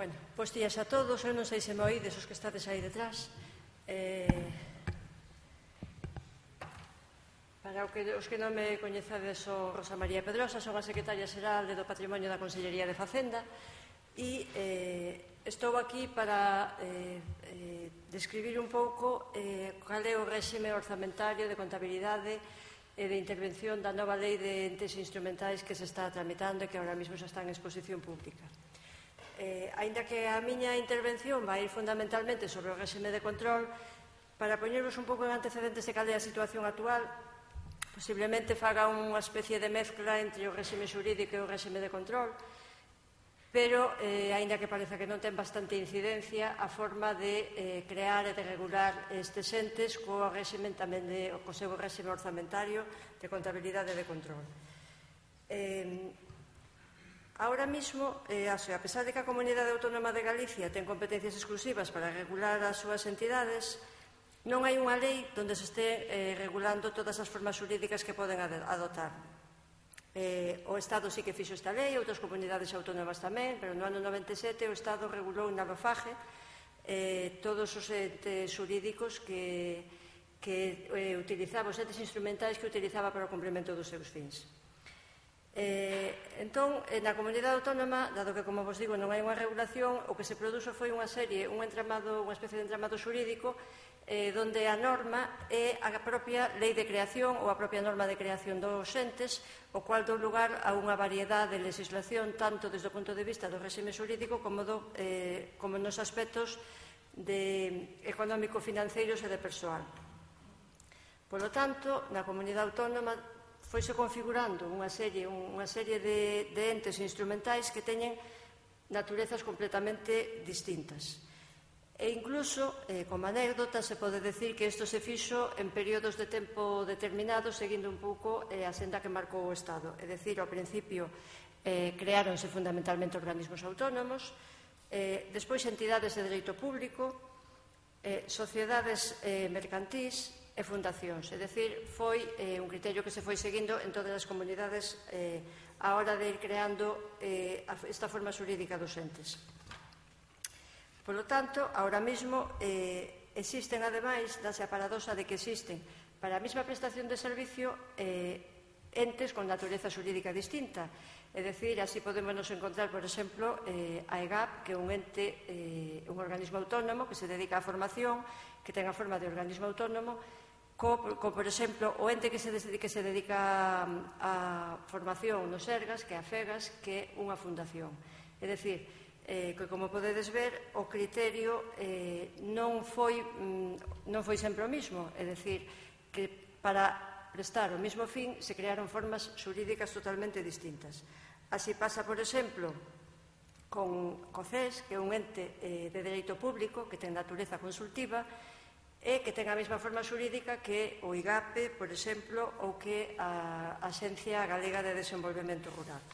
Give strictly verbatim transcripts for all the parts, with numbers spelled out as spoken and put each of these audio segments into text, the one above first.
Bueno, pois días a todos, eu non sei se me oídes os que estades aí detrás. Eh, para os que non me coñecades, sou Rosa María Pedrosa, son a secretaria xeral do Patrimonio da Consellería de Facenda e eh, estou aquí para eh, eh, describir un pouco eh, cal é o réxime orzamentario de contabilidade e de intervención da nova lei de entes instrumentais que se está tramitando e que ahora mesmo xa está en exposición pública. Eh, aínda que a miña intervención vai ir fundamentalmente sobre o réxime de control, para poñervos un pouco en antecedentes de cal é a situación actual, posiblemente faga unha especie de mezcla entre o réxime xurídico e o réxime de control, pero, eh, aínda que parece que non ten bastante incidencia, a forma de eh, crear e de regular estes entes co réxime tamén de, co seu réxime orzamentario de contabilidade e de control. Eh, Ahora mismo, eh, a pesar de que a Comunidade Autónoma de Galicia ten competencias exclusivas para regular as súas entidades, non hai unha lei onde se este eh, regulando todas as formas xurídicas que poden adoptar. Eh, o Estado sí que fixo esta lei, outras comunidades autónomas tamén, pero no ano noventa e sete o Estado regulou na LOFAGE eh, todos os entes xurídicos que, que eh, utilizaba, os entes instrumentais que utilizaba para o cumprimento dos seus fins. Eh, entón, na comunidade autónoma, dado que, como vos digo, non hai unha regulación, o que se produxo foi unha serie, un entramado, unha especie de entramado xurídico eh, donde a norma é a propia lei de creación ou a propia norma de creación dos entes, o cual dou lugar a unha variedade de legislación tanto desde o punto de vista do réxime xurídico como, do, eh, como nos aspectos de económico-financeiros e de persoal. Polo tanto, na comunidade autónoma foise configurando unha serie, unha serie de, de entes instrumentais que teñen naturezas completamente distintas. E incluso, eh, como anécdota, se pode decir que isto se fixo en períodos de tempo determinados, seguindo un pouco eh, a senda que marcou o Estado. É dicir, ao principio eh, creáronse fundamentalmente organismos autónomos, eh, despois entidades de dereito público, eh, sociedades eh, mercantís, e fundacións. É dicir, foi eh, un criterio que se foi seguindo en todas as comunidades eh, a hora de ir creando eh, esta forma xurídica dos entes. Por lo tanto, ahora mismo eh, existen, ademais, dase a paradoxa de que existen para a mesma prestación de servicio eh, entes con natureza xurídica distinta. É dicir, así podemos nos encontrar, por exemplo, eh, a E G A P, que é un ente, eh, un organismo autónomo que se dedica á formación, que ten a forma de organismo autónomo, Co, co, por exemplo, o ente que se, que se dedica á formación no Sergas, que é a FEGAS, que é unha fundación. É dicir, eh, que como podedes ver, o criterio eh, non foi mm, non foi sempre o mismo. É dicir, que para prestar o mesmo fin se crearon formas xurídicas totalmente distintas. Así pasa, por exemplo, con o C E S, que é un ente eh, de dereito público que ten natureza consultiva, e que ten a mesma forma xurídica que o I G A P, por exemplo, ou que a Axencia Galega de Desenvolvemento Rural.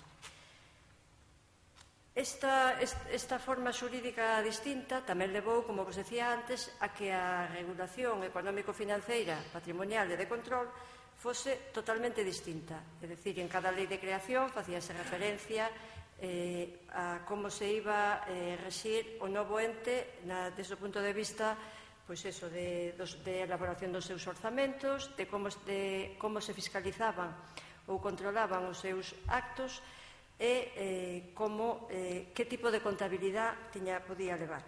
Esta, esta forma xurídica distinta tamén levou, como vos decía antes, a que a regulación económico-financeira, patrimonial e de control fose totalmente distinta. É dicir, en cada lei de creación facíase referencia eh, a como se iba a eh, rexir o novo ente na, desde o punto de vista pois eso, de, de elaboración dos seus orzamentos, de como, de como se fiscalizaban ou controlaban os seus actos e eh, como, eh, que tipo de contabilidade tiña, podía levar.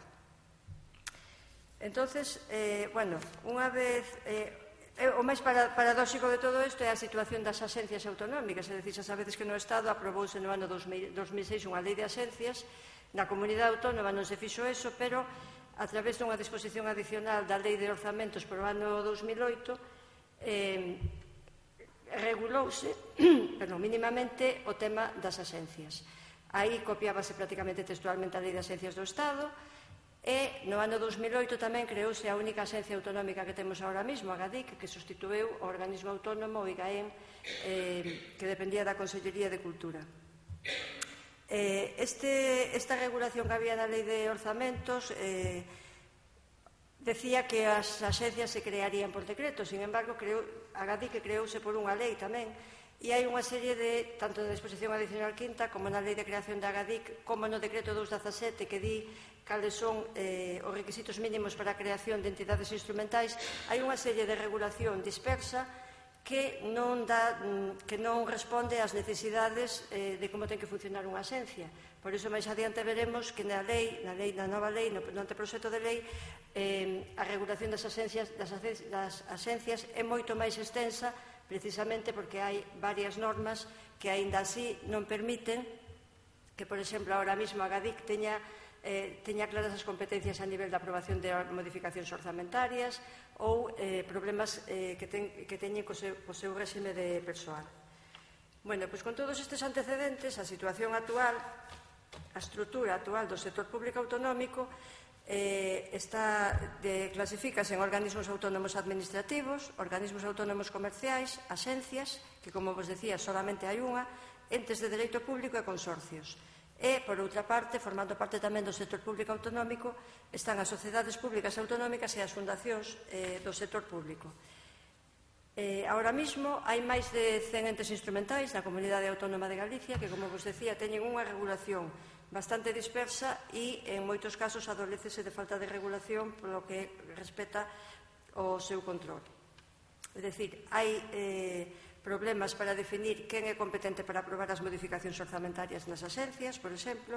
Entonces, eh, bueno, unha vez... Eh, o máis paradóxico de todo isto é a situación das axencias autonómicas, é dicir, xa sabedes que no Estado aprobouse no ano dos mil seis unha lei de axencias, na comunidade autónoma non se fixo eso, pero a través dunha disposición adicional da Lei de Orzamentos por o ano dos mil oito, eh, regulouse perdón, mínimamente o tema das axencias. Aí copiábase prácticamente textualmente a Lei de Axencias do Estado e no ano dos mil oito tamén creouse a única axencia autonómica que temos ahora mesmo, a GADIC, que sustituiu o organismo autónomo, o IGAEN, eh, que dependía da Consellería de Cultura. Eh, este, esta regulación que había na Lei de Orzamentos eh, decía que as axencias se crearían por decreto, sin embargo, creo, a GADIC que creouse por unha lei tamén, E hai unha serie de, tanto na disposición adicional quinta como na Lei de Creación da AGADIC, como no Decreto dous dezasete, que di cales son eh, os requisitos mínimos para a creación de entidades instrumentais, hai unha serie de regulación dispersa que non, dá, que non responde ás necesidades eh, de como ten que funcionar unha axencia. Por iso, máis adiante veremos que na lei, na, lei, na nova lei, no, no anteproxecto de lei, eh, a regulación das axencias, das, das axencias é moito máis extensa, precisamente porque hai varias normas que aínda así non permiten que, por exemplo, ahora mesmo a GADIC teña, eh, teña claras as competencias a nivel da aprobación de modificacións orzamentarias ou eh, problemas eh, que, ten, que teñen co seu, co seu réxime de persoal. Bueno, pois con todos estes antecedentes, a situación actual, a estrutura actual do sector público autonómico Eh, está de, clasifícase en organismos autónomos administrativos, organismos autónomos comerciais, axencias, que, como vos decía, solamente hai unha, entes de dereito público e consorcios. E, por outra parte, formando parte tamén do sector público autonómico, están as sociedades públicas autonómicas e as fundacións eh, do sector público. Eh, ahora mesmo hai máis de cen entes instrumentais na Comunidade Autónoma de Galicia que, como vos decía, teñen unha regulación bastante dispersa e, en moitos casos, adolécese de falta de regulación polo que respecta ao seu control. É dicir, hai eh, problemas para definir quen é competente para aprobar as modificacións orzamentarias nas axencias, por exemplo.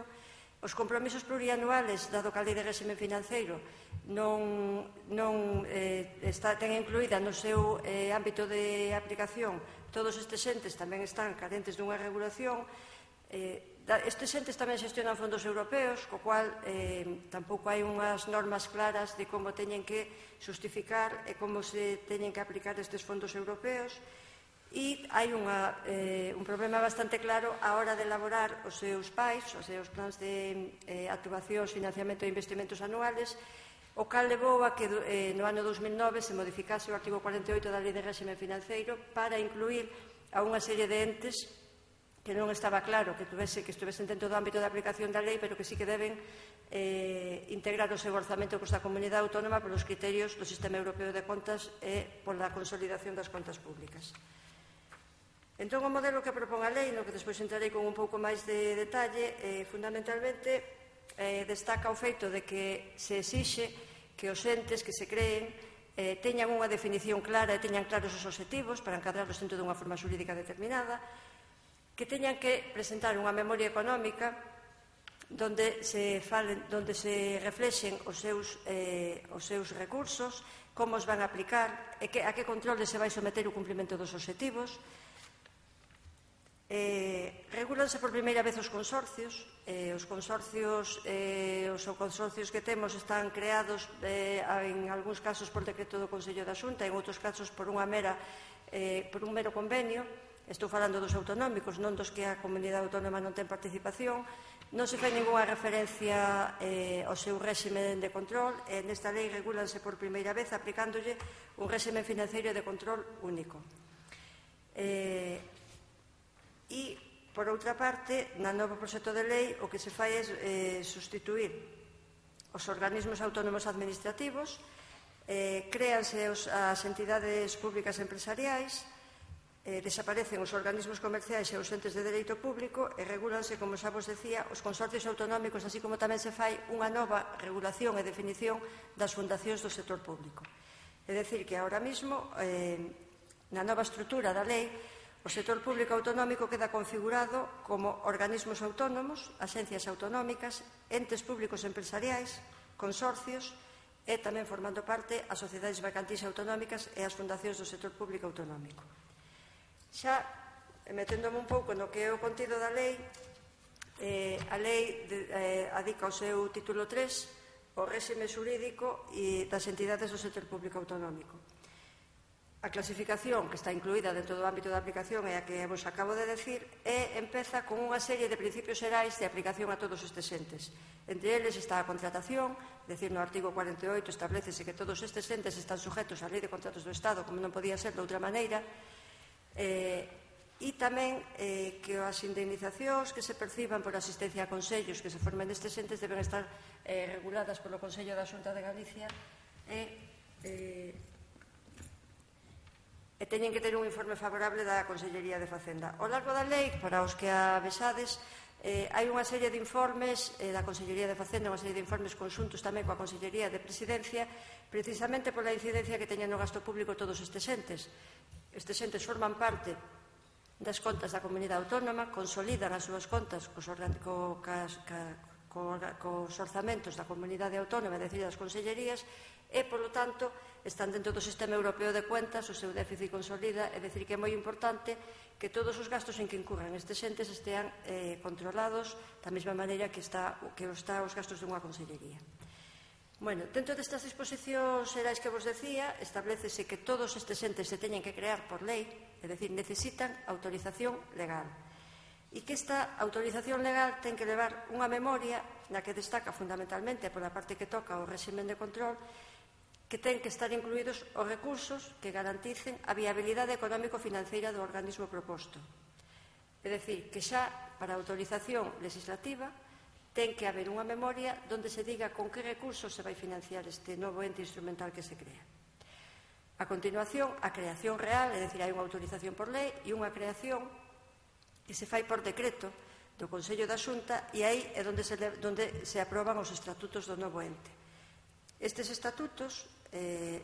Os compromisos plurianuales, dado que a Lei de Réxime Financeiro non, non eh, está, ten incluída no seu eh, ámbito de aplicación, todos estes entes tamén están carentes dunha regulación. Eh, estes entes tamén xestionan fondos europeos, co cual eh, tampouco hai unhas normas claras de como teñen que justificar e como se teñen que aplicar estes fondos europeos. E hai unha, eh, un problema bastante claro á hora de elaborar os seus P A Is, os seus plans de eh, actuacións, financiamento e investimentos anuales, o cal levou a que eh, no ano dous mil nove se modificase o artigo cuarenta e oito da Lei de Réxime Financeiro para incluir a unha serie de entes que non estaba claro que, tuvese, que estuvesen dentro do ámbito de aplicación da lei, pero que sí que deben eh, integrar o seu orzamento costa comunidade autónoma polos criterios do Sistema Europeo de Contas e pola consolidación das contas públicas. Entón, o modelo que propón a lei, no que despois entrarei con un pouco máis de detalle, eh, fundamentalmente eh, destaca o feito de que se exixe que os entes que se creen eh, teñan unha definición clara e teñan claros os obxectivos para encadrarlos dentro dunha forma xurídica determinada, que teñan que presentar unha memoria económica donde se, falen, donde se reflexen os seus, eh, os seus recursos, como os van a aplicar e que, a que controle se vai someter o cumprimento dos obxectivos. Eh, regúlanse por primeira vez os consorcios. Eh, os consorcios eh, os consorcios que temos están creados eh, en algúns casos por decreto do Consello da Xunta, en outros casos por, unha mera, eh, por un mero convenio. Estou falando dos autonómicos, non dos que a comunidade autónoma non ten participación. Non se fai ninguna referencia eh, ao seu réxime de control e nesta lei regúlanse por primeira vez aplicándolle un réxime financeiro de control único. Eh, E, por outra parte, na nova proxecto de lei o que se fai é eh, sustituir os organismos autónomos administrativos, eh, créanse os, as entidades públicas empresariais, eh, desaparecen os organismos comerciais e os entes de dereito público e regúlanse, como xa vos decía, os consorcios autonómicos, así como tamén se fai unha nova regulación e definición das fundacións do sector público. É dicir, que ahora mesmo, eh, na nova estrutura da lei, o sector público autonómico queda configurado como organismos autónomos, axencias autonómicas, entes públicos empresariais, consorcios e tamén formando parte as sociedades mercantis autonómicas e as fundacións do sector público autonómico. Xa, meténdome un pouco no que é o contido da lei, eh, a lei de, eh, adica o seu título tres, o réxime xurídico e das entidades do sector público autonómico. A clasificación que está incluída dentro do ámbito da aplicación é a que vos acabo de decir e empeza con unha serie de principios xerais de aplicación a todos estes entes. Entre eles está a contratación, decir, no artigo cuarenta e oito establecese que todos estes entes están sujetos á Lei de Contratos do Estado, como non podía ser de outra maneira, eh, e tamén eh, que as indemnizacións que se perciban por asistencia a consellos que se formen destes entes deben estar eh, reguladas polo Consello da Xunta de Galicia e... Eh, E teñen que ter un informe favorable da Consellería de Facenda. Ao largo da lei, para os que a vexades, Eh, hai unha serie de informes eh, da Consellería de Facenda, unha serie de informes conxuntos tamén coa Consellería de Presidencia, precisamente pola incidencia que teñen no gasto público todos estes entes. Estes entes forman parte das contas da comunidade autónoma, consolidan as súas contas cos, co, cas, ca, co, cos orzamentos da comunidade autónoma, é dicir, das consellerías, e, polo tanto, están dentro do sistema europeo de cuentas, o seu déficit consolida, é dicir, que é moi importante que todos os gastos en que incurran estes entes estean eh, controlados da mesma maneira que está, que está os gastos dunha consellería. Bueno, dentro destas disposicións xerais que vos decía, establecese que todos estes entes se teñen que crear por lei, é dicir, necesitan autorización legal. E que esta autorización legal ten que levar unha memoria na que destaca fundamentalmente pola parte que toca o réximen de control, que ten que estar incluídos os recursos que garanticen a viabilidade económico-financeira do organismo proposto. É dicir, que xa para a autorización legislativa ten que haber unha memoria onde se diga con que recursos se vai financiar este novo ente instrumental que se crea. A continuación, a creación real, é dicir, hai unha autorización por lei e unha creación que se fai por decreto do Consello da Xunta e aí é onde se, onde se aproban os estatutos do novo ente. Estes estatutos, eh,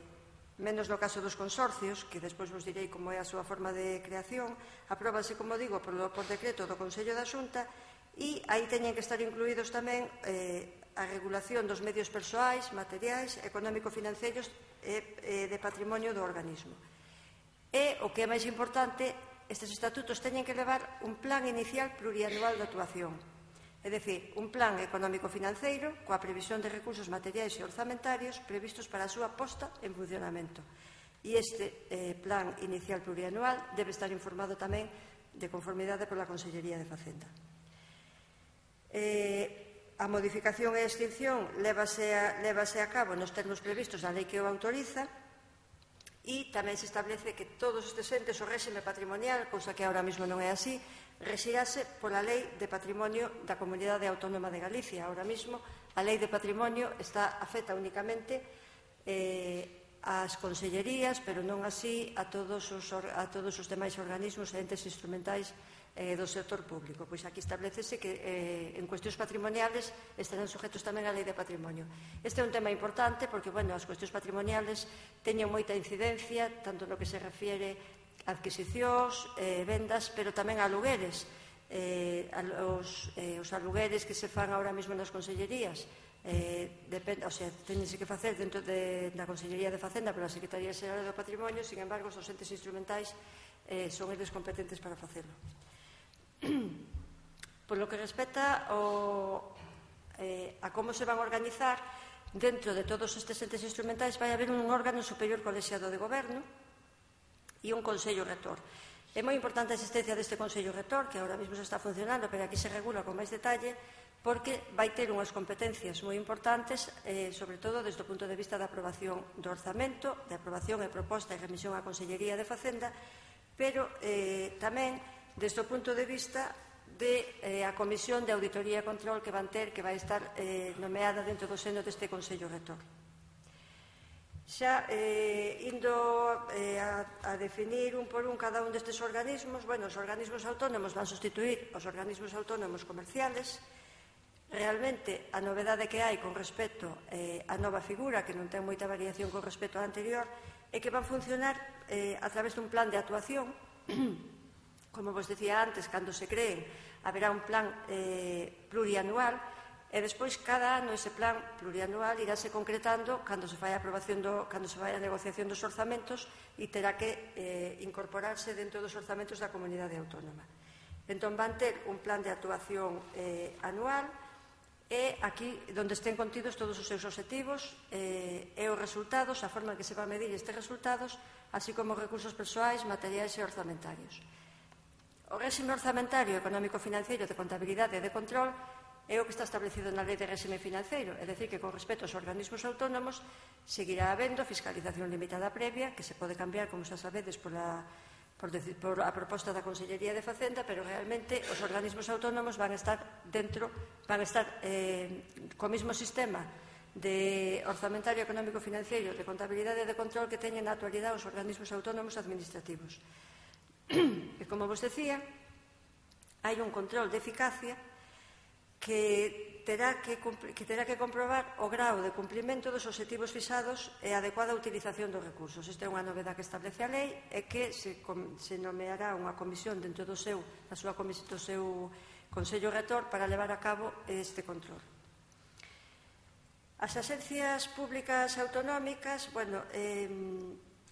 menos no caso dos consorcios, que despois vos direi como é a súa forma de creación, apróbanse, como digo, por, por decreto do Consello da Xunta e aí teñen que estar incluídos tamén eh, a regulación dos medios persoais, materiais, económico-financeiros e eh, de patrimonio do organismo. E, o que é máis importante, estes estatutos teñen que levar un plan inicial plurianual de actuación. É dicir, un plan económico-financeiro coa previsión de recursos materiais e orzamentarios previstos para a súa posta en funcionamento. E este eh, plan inicial plurianual debe estar informado tamén de conformidade pola Consellería de Facenda. Eh, a modificación e extinción lévase a, lévase a cabo nos termos previstos na lei que o autoriza e tamén se establece que todos estes entes o réxime patrimonial, cousa que ahora mesmo non é así, rexirase pola Lei de Patrimonio da Comunidade Autónoma de Galicia. Ahora mesmo a Lei de Patrimonio está afecta únicamente eh, ás consellerías, pero non así a todos os, a todos os demais organismos e entes instrumentais eh, do sector público. Pois aquí establecese que eh, en cuestións patrimoniales estarán sujetos tamén á Lei de Patrimonio. Este é un tema importante porque, bueno, as cuestións patrimoniales teñen moita incidencia, tanto no que se refiere adquisicións, eh, vendas, pero tamén alugueres. Eh, os, eh, os alugueres que se fan ahora mesmo nas consellerías, eh, depende, o sea, teñense que facer dentro de, da Consellería de Facenda pola Secretaría Xeral do Patrimonio, sin embargo, os entes instrumentais eh, son eles competentes para facelo. Por lo que respecta ao, eh, a como se van a organizar, dentro de todos estes entes instrumentais vai haber un órgano superior colexiado de goberno e un Consello Rector. É moi importante a existencia deste Consello Rector, que agora mesmo se está funcionando, pero aquí se regula con máis detalle, porque vai ter unhas competencias moi importantes, eh, sobre todo desde o punto de vista da aprobación do orzamento, de aprobación e proposta e remisión á Consellería de Facenda, pero eh, tamén desde o punto de vista de eh, a Comisión de Auditoría e Control que van ter, que vai estar eh, nomeada dentro do seno deste Consello Rector. Xa eh, indo eh, a, a definir un por un cada un destes organismos, bueno, os organismos autónomos van sustituir os organismos autónomos comerciales. Realmente, a novedade que hai con respecto eh, á nova figura, que non ten moita variación con respecto á anterior, é que van funcionar eh, a través dun plan de actuación. Como vos decía antes, cando se creen, haberá un plan eh, plurianual. E despois, cada ano, ese plan plurianual iráse concretando cando se fai a aprobación do, cando se vai a negociación dos orzamentos e terá que eh, incorporarse dentro dos orzamentos da comunidade autónoma. Entón, van ter un plan de actuación eh, anual e aquí, onde estén contidos todos os seus obxectivos eh, e os resultados, a forma en que se va a medir estes resultados, así como os recursos persoais, materiais e orzamentarios. O réxime orzamentario, económico-financeiro, de contabilidade e de control é o que está establecido na Lei de Réxime Financeiro, é dicir, que con respecto aos organismos autónomos seguirá habendo fiscalización limitada previa, que se pode cambiar, como xa sabedes, por a, por, por a proposta da Consellería de Facenda, pero realmente os organismos autónomos van a estar dentro, van a estar eh, co mesmo sistema de orzamentario económico financiero, de contabilidade e de control que teñen na actualidade os organismos autónomos administrativos. E como vos decía, hai un control de eficacia que terá que, que terá que comprobar o grau de cumprimento dos obxectivos fixados e a adecuada utilización dos recursos. Esta é unha novedade que establece a lei e que se, se nomeará unha comisión dentro do seu, da súa comisión, do seu Consello Rector para levar a cabo este control. As axencias públicas autonómicas, bueno, eh,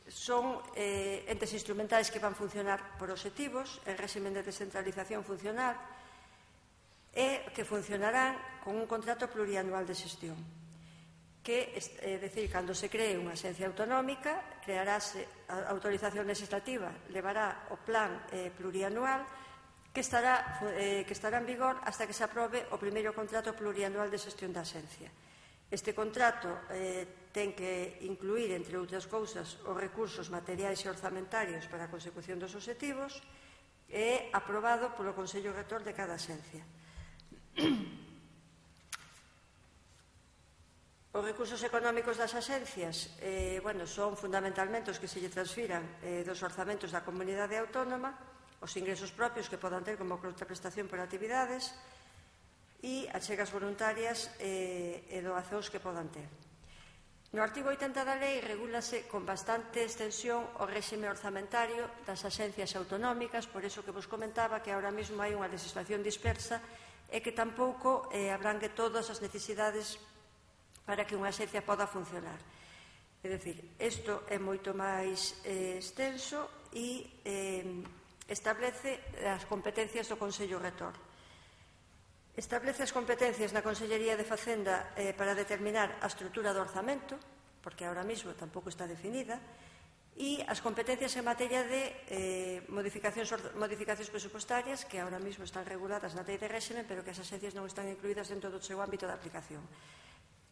son eh, entes instrumentais que van funcionar por obxectivos, en régimen de descentralización funcional, e que funcionarán con un contrato plurianual de xestión. Que, é dicir, cando se cree unha axencia autonómica, crearase a autorización legislativa, levará o plan eh, plurianual que estará, eh, que estará en vigor hasta que se aprobe o primeiro contrato plurianual de xestión da axencia. Este contrato eh, ten que incluir, entre outras cousas, os recursos materiais e orzamentarios para a consecución dos obxectivos e aprobado polo Consello Rector de cada axencia. Os recursos económicos das axencias eh, bueno, son fundamentalmente os que se lle transfiran eh, dos orzamentos da comunidade autónoma, os ingresos propios que podan ter como contraprestación por actividades, e achegas voluntarias e, e doazóns que podan ter. No artigo oitenta da lei regúlase con bastante extensión o réxime orzamentario das axencias autonómicas, por iso que vos comentaba que ahora mesmo hai unha legislación dispersa e que tampouco eh, abrangue todas as necesidades para que unha axencia poda funcionar. É dicir, isto é moito máis eh, extenso e eh, establece as competencias do Consello Rector. Establece as competencias na Consellería de Facenda eh, para determinar a estrutura do orzamento, porque ahora mesmo tampouco está definida, e as competencias en materia de eh, modificacións, modificacións presupuestarias que ahora mesmo están reguladas na lei de réxime, pero que as axencias non están incluídas dentro do seu ámbito de aplicación.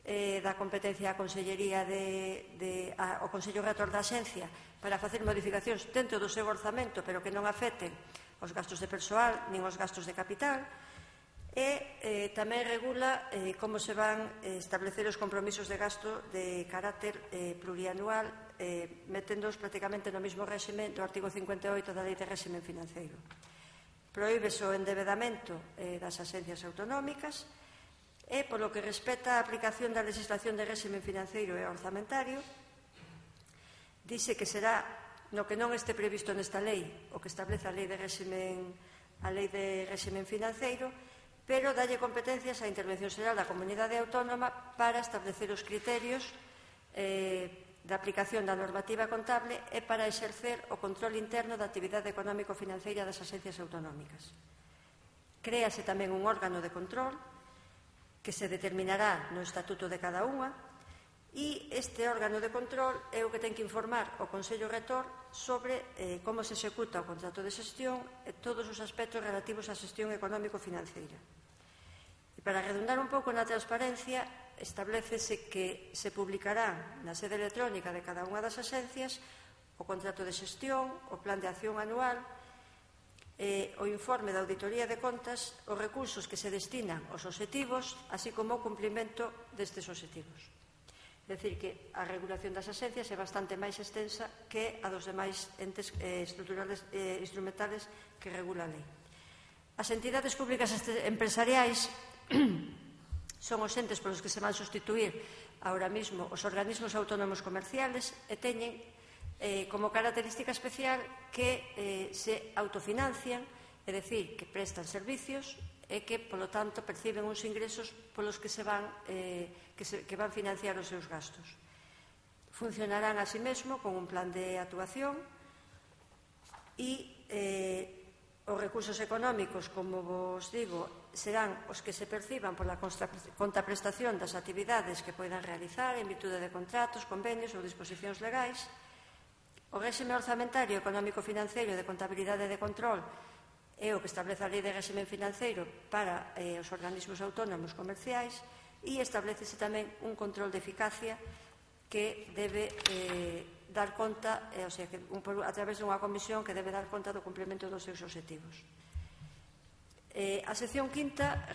Eh, da competencia a Consellería de, de, a, o Consello Rector da Axencia para facer modificacións dentro do seu orzamento, pero que non afecten os gastos de persoal nin os gastos de capital. E eh, tamén regula eh, como se van eh, establecer os compromisos de gasto de carácter eh, plurianual, eh, meténdoos prácticamente no mesmo réxime do artigo cincuenta e oito da Lei de Réxime Financeiro. Prohíbese o endebedamento eh, das axencias autonómicas e, polo que respecta á aplicación da legislación de réxime financeiro e orzamentario, dice que será no que non este previsto nesta lei, o que establece a Lei de Réxime, a Lei de Réxime Financeiro, pero dalle competencias á Intervención Xeral da Comunidade Autónoma para establecer os criterios eh, da aplicación da normativa contable e para exercer o control interno da actividade económico-financeira das axencias autonómicas. Créase tamén un órgano de control que se determinará no estatuto de cada unha e este órgano de control é o que ten que informar o Consello Rector sobre eh, como se executa o contrato de xestión e todos os aspectos relativos á xestión económico-financeira. E para redundar un pouco na transparencia, establecese que se publicará na sede electrónica de cada unha das axencias o contrato de xestión, o plan de acción anual, eh, o informe da auditoría de contas, os recursos que se destinan aos obxectivos, así como o cumprimento destes obxectivos. É dicir, que a regulación das axencias é bastante máis extensa que a dos demais entes eh, estruturales eh, instrumentales que regula a lei. As entidades públicas empresariais son os entes polos que se van sustituir ahora mesmo os organismos autónomos comerciales e teñen eh, como característica especial que eh, se autofinancian, é dicir, que prestan servicios e que, polo tanto, perciben uns ingresos polos que, se van, eh, que, se, que van financiar os seus gastos. Funcionarán así mesmo con un plan de actuación e eh, os recursos económicos, como vos digo, serán os que se perciban pola contraprestación das actividades que poidan realizar en virtude de contratos, convenios ou disposicións legais. O réxime orzamentario económico-financeiro de contabilidade e de control é o que establece a Lei de Réxime Financeiro para eh, os organismos autónomos comerciais e establecese tamén un control de eficacia que debe eh, dar conta, eh, o sea, que un, a través dunha comisión que debe dar conta do cumprimento dos seus obxectivos. A sección quinta,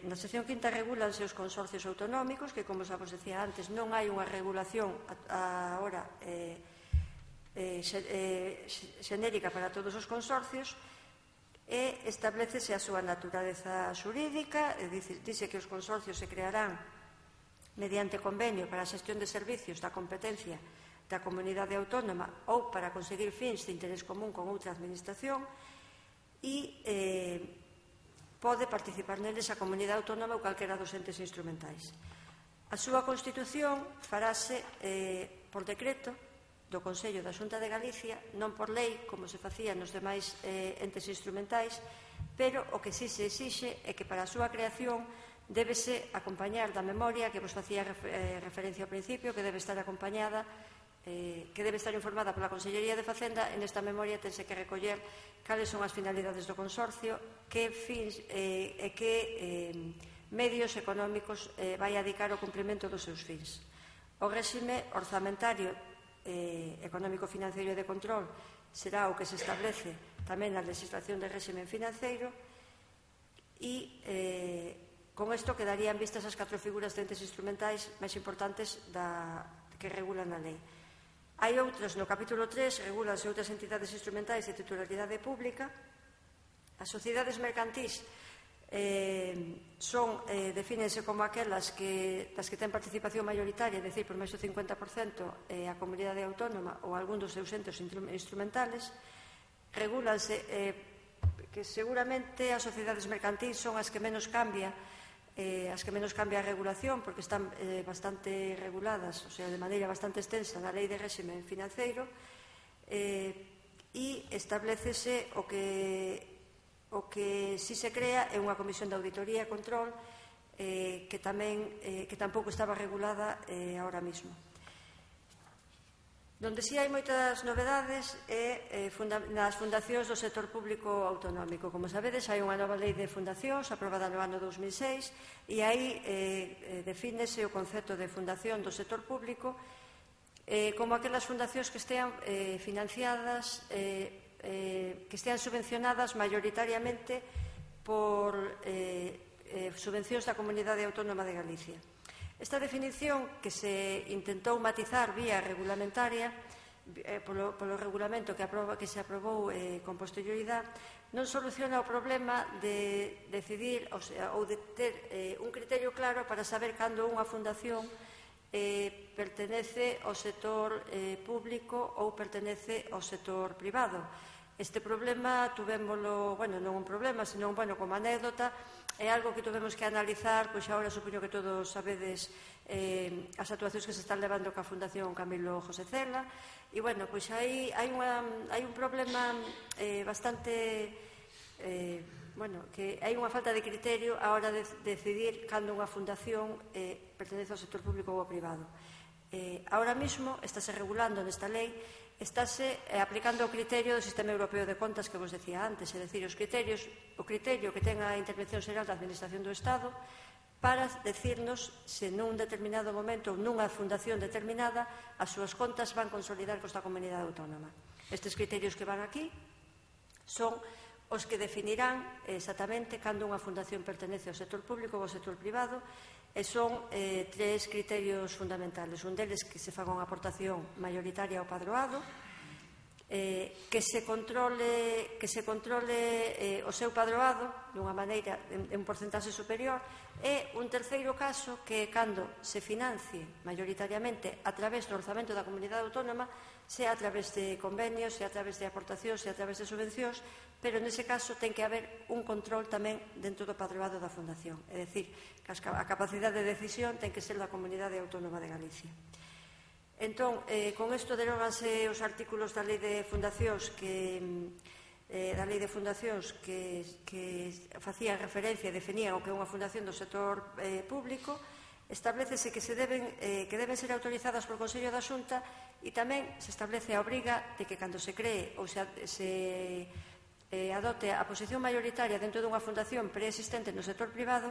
na sección quinta regulanse os consorcios autonómicos, que, como xa vos decía antes, non hai unha regulación agora xenérica para todos os consorcios, e establecese a súa naturaleza xurídica, e dice que os consorcios se crearán mediante convenio para a xestión de servicios da competencia da comunidade autónoma ou para conseguir fins de interés común con outra administración, e pode participar neles a comunidade autónoma ou calquera dos entes instrumentais. A súa constitución farase por decreto do Consello da Xunta de Galicia, non por lei, como se facía nos demais entes instrumentais, pero o que si se exixe é que para a súa creación débese acompañar da memoria que vos facía referencia ao principio, que debe estar acompañada, que debe estar informada pola Consellería de Facenda. En esta memoria tense que recoller cales son as finalidades do consorcio, que fins e que medios económicos vai adicar ao cumprimento dos seus fins. O réxime orzamentario, económico, financeiro e de control será o que se establece tamén na legislación de réxime financeiro, e con isto quedarían vistas as catro figuras de entes instrumentais máis importantes que regulan a lei. Hai outras, no capítulo tres, regulanse outras entidades instrumentais de titularidade pública. As sociedades mercantís defínense como aquelas das que ten participación mayoritaria, é dicir, por máis do cincuenta por cento a comunidade autónoma ou algún dos seus entes instrumentales. Regulanse que seguramente as sociedades mercantís son as que menos cambia as que menos cambia a regulación, porque están bastante reguladas, o sea, de maneira bastante extensa na Lei de Réxime Financeiro, e establecese o que o que si se crea é unha comisión de auditoría e control que tamén que tampouco estaba regulada ahora mismo. Donde si hai moitas novedades é nas fundacións do sector público autonómico. Como sabedes, hai unha nova lei de fundacións aprobada no ano dous mil seis, e aí defínese o concepto de fundación do sector público como aquelas fundacións que estean financiadas, que estean subvencionadas maioritariamente por subvencións da Comunidade Autónoma de Galicia. Esta definición, que se intentou matizar vía regulamentaria polo regulamento que se aprobou con posterioridade, non soluciona o problema de decidir ou de ter un criterio claro para saber cando unha fundación pertenece ao sector público ou pertenece ao sector privado. Este problema tuvémolo, bueno, non un problema, senón, bueno, como anécdota, é algo que tuvemos que analizar, pois agora supoño que todos sabedes as actuacións que se están levando ca Fundación Camilo José Cela, e, bueno, pois hai un problema bastante, bueno, que hai unha falta de criterio a hora de decidir cando unha fundación pertenece ao sector público ou ao privado. Ahora mismo, estáse regulando nesta lei, estáse aplicando o criterio do Sistema Europeo de Contas que vos decía antes, é dicir, os criterios, o criterio que ten a Intervención Xeral da Administración do Estado para decirnos se nun determinado momento ou nunha fundación determinada as súas contas van consolidar costa comunidade autónoma. Estes criterios que van aquí son os que definirán exactamente cando unha fundación pertenece ao sector público ou ao sector privado, e son tres criterios fundamentales. Un deles, que se faga unha aportación mayoritaria ao padroado, que se controle o seu padroado dunha maneira, en un porcentaxe superior, e un terceiro caso, que é cando se financie maioritariamente a través do orzamento da comunidade autónoma, sea a través de convenios, sea a través de aportacións, sea a través de subvencións, pero nese caso ten que haber un control tamén dentro do padroado da fundación, é dicir, que a capacidade de decisión ten que ser da Comunidade Autónoma de Galicia. Entón, con isto deróganse os artículos da Lei de Fundacións que da Lei de Fundacións que facían referencia e definían o que é unha fundación do sector público. Establecese que deben ser autorizadas por Consello da Xunta, e tamén se establece a obriga de que cando se cree ou se adote a posición mayoritaria dentro dunha fundación preexistente no sector privado,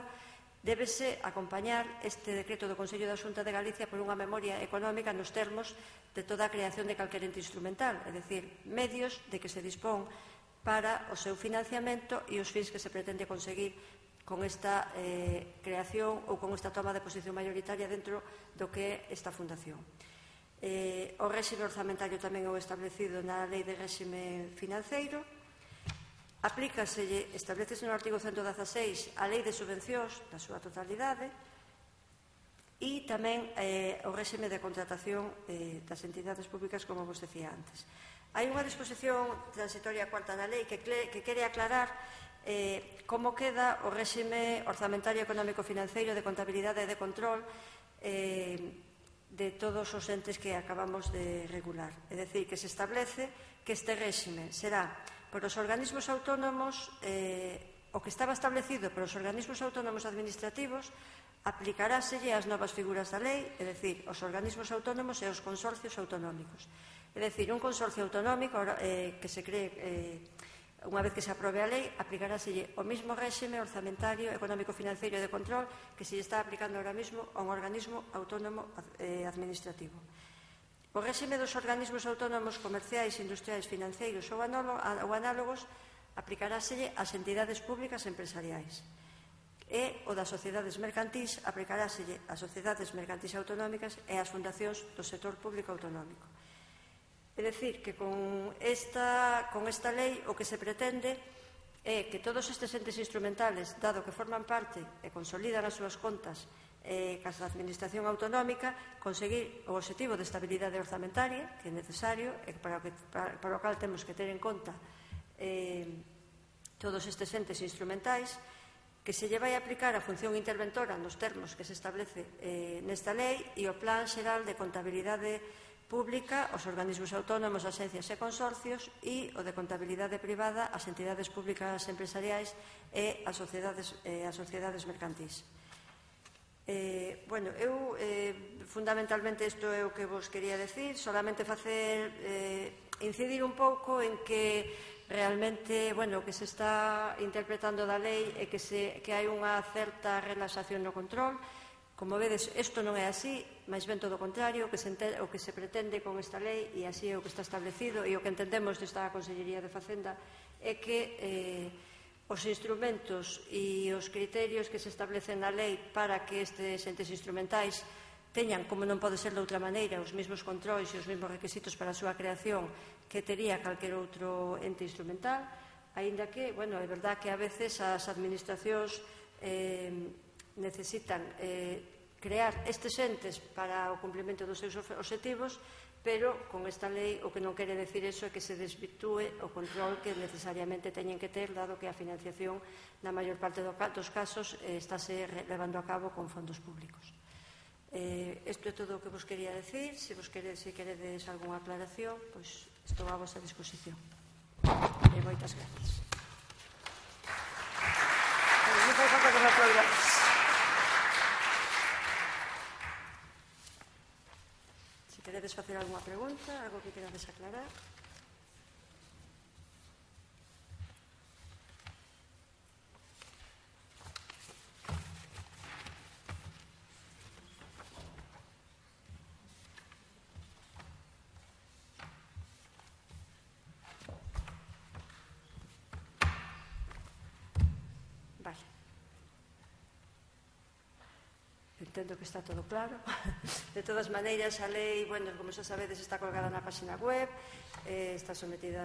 débese acompañar este decreto do Consello da Xunta de Galicia por unha memoria económica nos termos de toda a creación de calquer ente instrumental, é dicir, medios de que se dispón para o seu financiamento e os fins que se pretende conseguir con esta eh, creación ou con esta toma de posición mayoritaria dentro do que é esta fundación. Eh, o réxime orzamentario tamén é o establecido na Lei de Réxime Financeiro. Aplícaselle, establecese no artigo ciento dezaseis a Lei de Subvencións na súa totalidade e tamén eh, o réxime de contratación eh, das entidades públicas, como vos decía antes. Hai unha disposición transitoria cuarta da lei que, que quere aclarar eh, como queda o réxime orzamentario económico-financeiro de contabilidade e de control eh, de todos os entes que acabamos de regular. É dicir, que se establece que este réxime será por os organismos autónomos, eh, o que estaba establecido por os organismos autónomos administrativos, aplicaráselle as novas figuras da lei, é dicir, os organismos autónomos e os consorcios autonómicos. É dicir, un consorcio autonómico eh, que se cree, eh, unha vez que se aprobe a lei, aplicaráselle o mismo réxime orzamentario, económico-financeiro e de control que se lle está aplicando ahora mismo a un organismo autónomo eh, administrativo. O réxime dos organismos autónomos comerciais, industriais, financeiros ou análogos aplicaráselle ás entidades públicas empresariais. E o das sociedades mercantís aplicaráselle ás sociedades mercantís autonómicas e ás fundacións do sector público autonómico. É dicir, que con esta, con esta lei o que se pretende é que todos estes entes instrumentales, dado que forman parte e consolidan as súas contas eh, cas da administración autonómica, conseguir o objetivo de estabilidade orzamentaria, que é necesario, e para o, que, para, para o cal temos que ter en conta eh, todos estes entes instrumentais, que se lle vai aplicar a función interventora nos termos que se establece eh, nesta lei e o Plan Xeral de Contabilidade Pública, os organismos autónomos, axencias e consorcios e o de contabilidade privada, as entidades públicas empresariais e as sociedades, eh, as sociedades mercantís. Eh, bueno, eu eh, fundamentalmente isto é o que vos quería decir, solamente facer eh, incidir un pouco en que realmente, bueno, o que se está interpretando da lei é que, se, que hai unha certa relaxación no control. Como vedes, isto non é así, máis ben todo o contrario, o que, se ente, o que se pretende con esta lei, e así é o que está establecido, e o que entendemos desta Consellería de Facenda, é que eh, os instrumentos e os criterios que se establecen na lei para que estes entes instrumentais teñan, como non pode ser de outra maneira, os mesmos controis e os mesmos requisitos para a súa creación que tería calquer outro ente instrumental, aínda que, bueno, é verdad que a veces as administracións eh, necesitan eh, crear estes entes para o cumprimento dos seus obxectivos, pero con esta lei o que non quere decir eso é que se desvirtúe o control que necesariamente teñen que ter, dado que a financiación na maior parte dos casos eh, estáse levando a cabo con fondos públicos. Eh, isto é todo o que vos quería decir. Se vos queredes, se queredes algunha aclaración, pois estou a vosa disposición. E moitas gracias. Non fai falta que me aplaudades. Se queredes facer algunha pregunta, algo que querades aclarar. Entendo que está todo claro. De todas maneiras, a lei, bueno, como xa sabedes, está colgada na página web, eh, está sometida,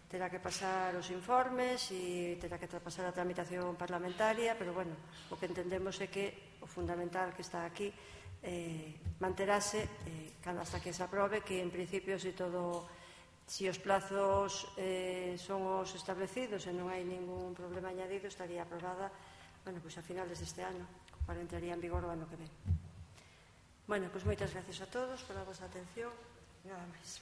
terá que pasar os informes e terá que pasar a tramitación parlamentaria, pero, bueno, o que entendemos é que o fundamental que está aquí eh, manterase eh, hasta que se aprobe, que en principio, se todo, si os plazos eh, son os establecidos e non hai ningún problema añadido, estaría aprobada, bueno, pois a finales deste ano, para entraría en vigor o ano que ven. Bueno, pois moitas gracias a todos pola vosa atención. Nada máis.